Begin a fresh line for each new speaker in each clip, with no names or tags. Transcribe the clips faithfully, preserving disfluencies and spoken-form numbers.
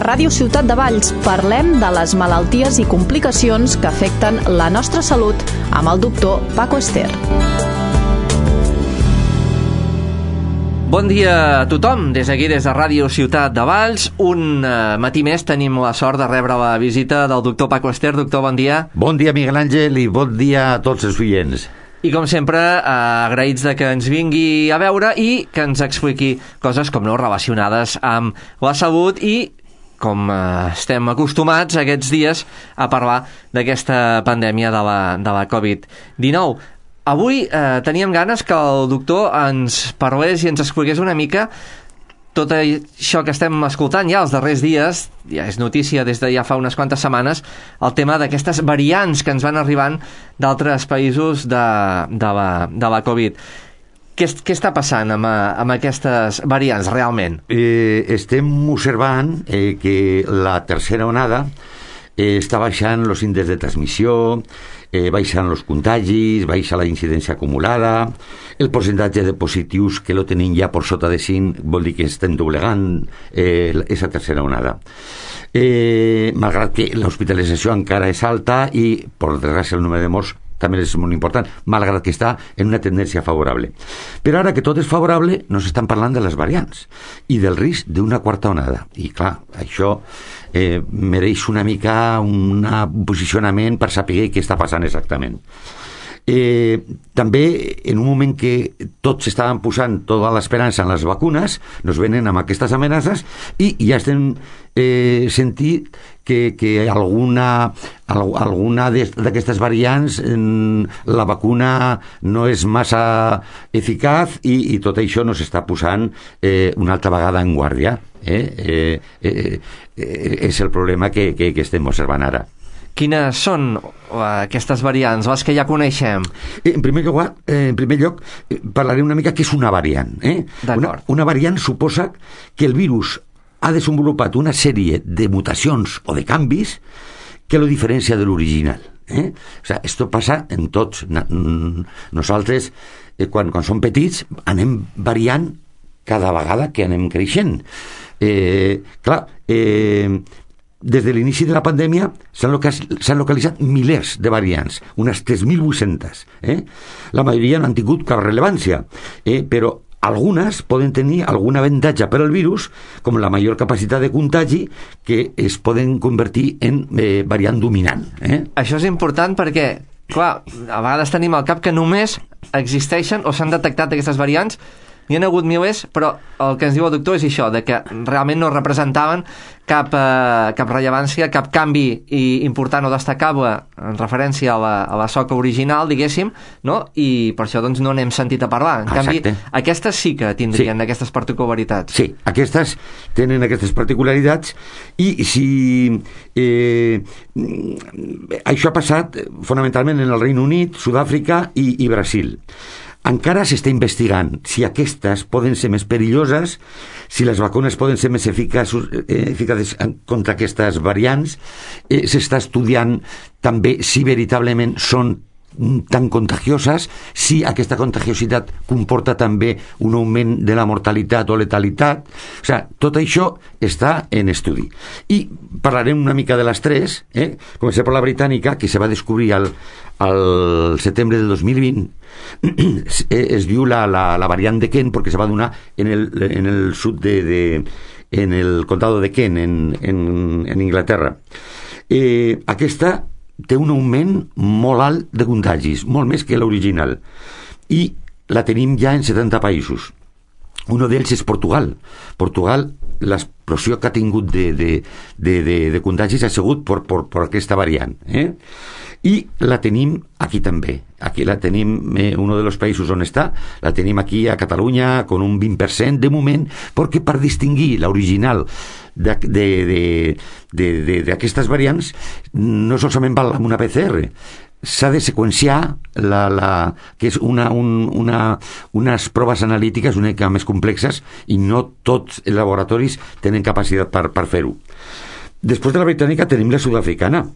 Ràdio Ciutat de Valls parlem de les malalties i complicacions que afecten la nostra salut amb el doctor Paco Ester.
Bon dia a tothom, des d'aquí, des de Ràdio Ciutat de Valls. Un uh, matí més tenim la sort de rebre la visita del doctor Paco Ester. Doctor, bon dia.
Bon dia, Miguel Àngel, i bon dia a tots els oients.
I com sempre, uh, agraïts de que ens vingui a veure i que ens expliqui coses com no relacionades amb la salut i com uh, estem acostumats aquests dies a parlar d'aquesta pandèmia de la, de la covid dinou. Avui eh, teníem ganes que el doctor ens parlés i ens expliqués una mica tot això que estem escoltant ja els darrers dies, ja és notícia des de ja fa unes quantes setmanes, el tema d'aquestes variants que ens van arribant d'altres països de, de, la, de la Covid. Què, què està passant amb, amb aquestes variants realment?
Eh, estem observant eh, que la tercera onada eh, està baixant els índexs de transmissió, Eh, baixen els contagis, baixa la incidència acumulada, el percentatge de positius que lo tenim ja per sota de cinc vol dir que estem doblegant eh, aquesta tercera onada. Eh, malgrat que l'hospitalització encara és alta i, per desgràcia, el número de morts també és molt important, malgrat que està en una tendència favorable. Però ara que tot és favorable, no s'estan parlant de les variants i del risc d'una quarta onada. I clar, això eh, mereix una mica un posicionament per saber què està passant exactament. Eh, també, en un moment que tots estaven posant tota l'esperança en les vacunes, nos venen amb aquestes amenaces i ja estem eh, sentint que, que alguna, alguna d'aquestes variants eh, la vacuna no és massa eficaç i, i tot això nos està posant eh, una altra vegada en guàrdia. Eh? Eh, eh, eh, és el problema que, que, que estem observant ara.
Quines són aquestes variants, les que ja coneixem?
En primer lloc, en primer lloc parlaré una mica què és una variant. Eh? Una, una variant suposa que el virus ha desenvolupat una sèrie de mutacions o de canvis que lo diferencia de l'original. Eh? O sea, esto passa en tots. Nosaltres, eh, quan, quan som petits, anem variant cada vegada que anem creixent. Eh, clar, eh, des de l'inici de la pandèmia s'han localitzat, localitzat milers de variants, unes tres mil vuit-centes. Eh? La majoria no han tingut cap rellevància, eh? però algunes poden tenir algun avantatge per al virus, com la major capacitat de contagi, que es poden convertir en eh, variant dominant. Eh?
Això és important perquè, clar, a vegades tenim al cap que només existeixen o s'han detectat aquestes variants. N'hi ha hagut milers, però el que ens diu el doctor és això, de que realment no representaven cap, eh, cap rellevància, cap canvi important o destacable en referència a la, a la soca original, diguéssim, no? I per això doncs no n'hem sentit a parlar. En canvi,
Exacte.
Aquestes sí que tindrien
sí.
aquestes particularitats.
Sí, aquestes tenen aquestes particularitats i si eh, això ha passat fonamentalment en el Regne Unit, Sud-àfrica i, i Brasil. Encara s'està investigant si aquestes poden ser més perilloses, si les vacunes poden ser més eficaces, eh, eficaces contra aquestes variants. Eh, s'està estudiant també si veritablement són tan contagioses, si aquesta contagiositat comporta també un augment de la mortalitat o letalitat. O sigui, tot això està en estudi. I parlarem una mica de les tres. Eh? Comencem per la britànica, que se va descobrir al, al setembre del dos mil vint. Es diu la, la, la variant de Kent perquè se va donar en el, en el sud de, de en el condado de Kent, en, en, en Inglaterra. Eh, aquesta té un augment molt alt de contagis, molt més que l'original, i la tenim ja en setanta països. Un d'ells és Portugal. Portugal, l'explosió que ha tingut de, de, de, de, de contagis ha sigut per, per, per aquesta variant. Eh? I la tenim aquí també. Aquí la tenim, eh, un dels països on està, la tenim aquí a Catalunya con un vint per cent de moment, perquè per distingir l'original d'aquestes variants no solament val amb una P C R, s'ha de seqüenciar la, la, que és una, un, una, unes proves analítiques una mica més complexes i no tots els laboratoris tenen capacitat per, per fer-ho. Després de la britànica tenim la sud-africana.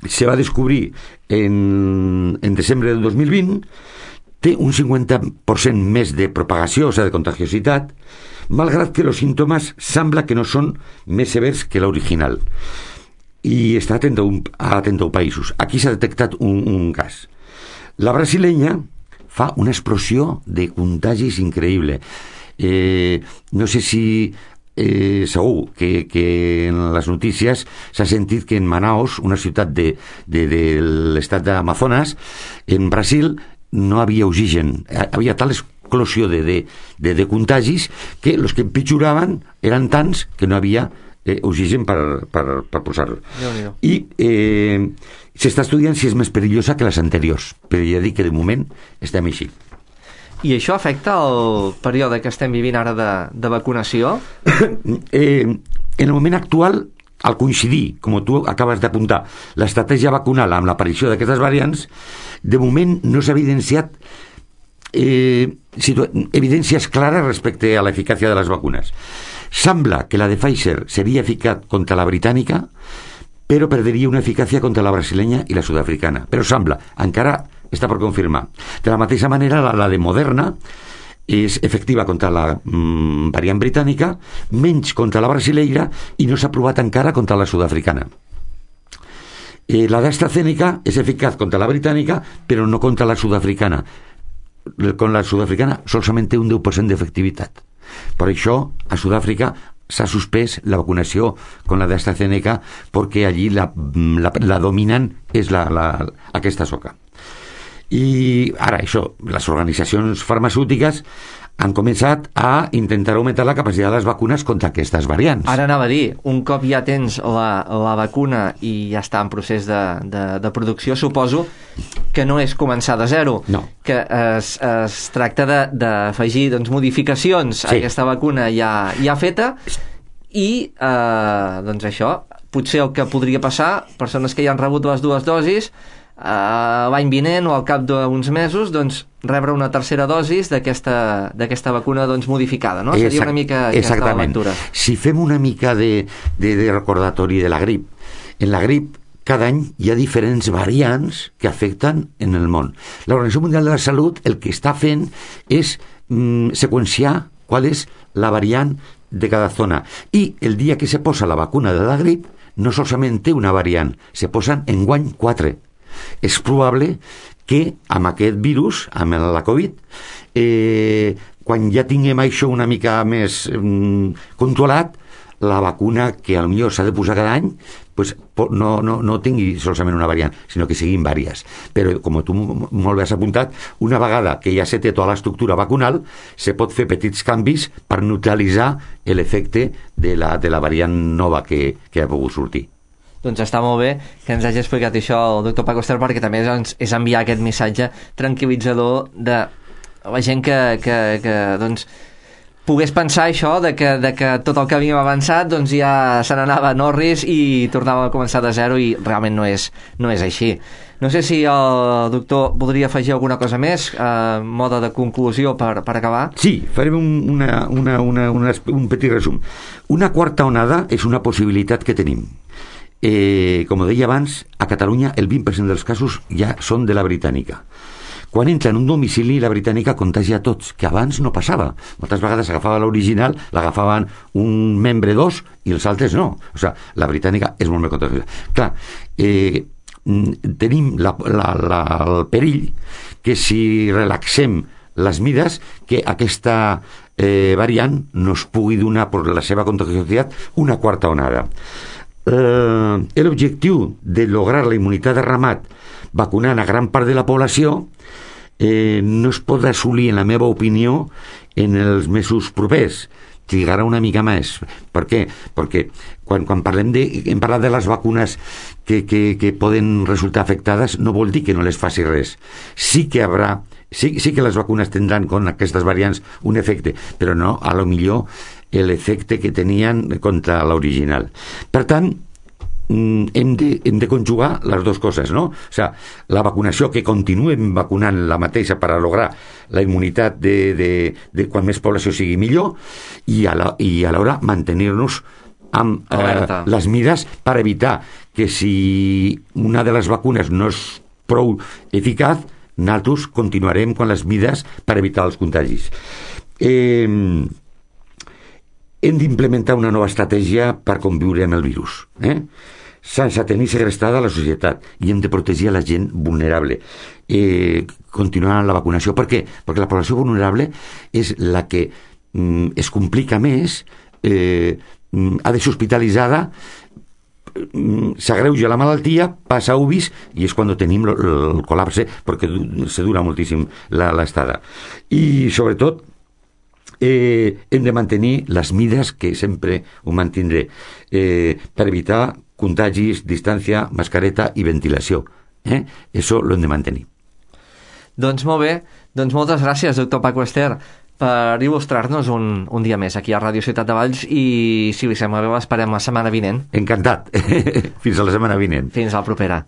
Se va descobrir en, en desembre del dos mil vint, té un cinquanta per cent més de propagació, o sigui, de contagiositat, malgrat que els símptomes sembla que no són més severs que l'original. I està a trenta-un països. Aquí s'ha detectat un, un cas. La brasilenya fa una explosió de contagis increïble. Eh, no sé si eh, segur que, que en les notícies s'ha sentit que en Manaus, una ciutat de, de, de l'estat d'Amazonas, en Brasil no havia oxigen. Havia tal explosió de, de, de, de contagis que els que empitjoraven eren tants que no havia Eh, oxigen per, per, per posar-lo. I eh, s'està estudiant si és més perillosa que les anteriors, però ja dic que de moment estem així.
I això afecta el període que estem vivint ara de, de vacunació?
eh, en el moment actual, al coincidir, com tu acabes d'apuntar, l'estratègia vacunal amb l'aparició d'aquestes variants, de moment no s'ha evidenciat eh, evidències clares respecte a l'eficàcia de les vacunes. Sembla que la de Pfizer seria eficaç contra la britànica, però perdria una eficàcia contra la brasilenya i la sud-africana. Però sembla, encara està per confirmar. De la mateixa manera, la, la de Moderna és efectiva contra la mm, variant britànica, menys contra la brasileira, i no s'ha provat encara contra la sud-africana. Eh, la d'AstraZeneca és eficaç contra la britànica, però no contra la sud-africana. Con la sud-africana solament té un deu per cent d'efectivitat. Per això, a Sud-àfrica s'ha suspès la vacunació con la d'AstraZeneca perquè allí la, la, la dominant és la, la, aquesta soca. I ara, això, les organitzacions farmacèutiques han començat a intentar augmentar la capacitat de les vacunes contra aquestes variants.
Ara anava a dir, un cop ja tens la, la vacuna i ja està en procés de, de, de producció, suposo que no és començar de zero,
no.
que es, es tracta d'afegir doncs, modificacions sí. a aquesta vacuna ja, ja feta i eh, doncs això, potser el que podria passar, persones que ja han rebut les dues dosis, Uh, l'any vinent o al cap d'uns mesos doncs rebre una tercera dosis d'aquesta d'aquesta vacuna doncs modificada, no? Seria una mica aquesta la lectura.
Si fem una mica de, de, de recordatori de la grip, en la grip cada any hi ha diferents variants que afecten en el món. L'Organització Mundial de la Salut el que està fent és mm, seqüenciar qual és la variant de cada zona, i el dia que se posa la vacuna de la grip no solament té una variant, se posen enguany quatre. És probable que amb aquest virus, amb la Covid, eh, quan ja tinguem això una mica més mm, controlat, la vacuna que potser s'ha de posar cada any pues, no, no, no tingui solament una variant, sinó que siguin vàries. Però, com tu molt bé has apuntat, una vegada que ja se té tota l'estructura vacunal, se pot fer petits canvis per neutralitzar l'efecte de la, de la variant nova que, que ha pogut sortir.
Doncs està molt bé que ens hagi explicat això el doctor Paco Ester, perquè també és, és enviar aquest missatge tranquil·litzador de la gent que, que, que doncs, pogués pensar això, de que, de que tot el que havíem avançat doncs ja se n'anava a Norris i tornàvem a començar de zero, i realment no és, no és així. No sé si el doctor voldria afegir alguna cosa més, eh, mode de conclusió per, per acabar.
Sí, farem un, una, una, una, una, un petit resum. Una quarta onada és una possibilitat que tenim. Eh, com deia abans, a Catalunya el vint per cent dels casos ja són de la britànica. Quan entra en un domicili, la britànica contagia a tots, que abans no passava. Moltes vegades s'agafava l'original, l'agafaven un membre dos i els altres no. O sigui, la britànica és molt més contagiosa. Clar, eh, tenim la, la, la, el perill que si relaxem les mides, que aquesta eh, variant no es pugui donar per la seva contagiositat una quarta onada. Eh, l'objectiu de lograr la immunitat de ramat vacunant a gran part de la població eh, no es pot assolir, en la meva opinió, en els mesos propers. Trigarà una mica més. Per què? Perquè quan, quan parlem de, hem parlat de les vacunes que, que, que poden resultar afectades, no vol dir que no les faci res. Sí que haurà, sí, sí que les vacunes tindran con aquestes variants un efecte, però no, a lo millor l'efecte que tenien contra l'original. Per tant, hem de, hem de conjugar les dues coses, no? O sigui, la vacunació, que continuem vacunant la mateixa per a lograr la immunitat de, de, de quan més població sigui millor, i a la, i a l'hora mantenir-nos amb eh, les mides per evitar que si una de les vacunes no és prou eficaç, nosaltres continuarem amb les mides per evitar els contagis. Eh, hem d'implementar una nova estratègia per conviure amb el virus, eh? sense tenir segrestada la societat, i hem de protegir a la gent vulnerable, eh, continuant la vacunació. Per què? Perquè la població vulnerable és la que mm, es complica més, eh, ha de ser hospitalitzada, s'agreuja la malaltia, passa a U B I S i és quan tenim el, el col·lapse, perquè se dura moltíssim l'estada. I sobretot eh, hem de mantenir les mides, que sempre ho mantindré, eh, per evitar contagis, distància, mascareta i ventilació. Eh? Això lo hem de mantenir.
Doncs molt bé, doncs moltes gràcies, doctor Paco Ester, per il·lustrar-nos un, un dia més aquí a Ràdio Ciutat de Valls, i si li sembla bé l'esperem la setmana vinent.
Encantat. Fins a la setmana vinent.
Fins a la propera.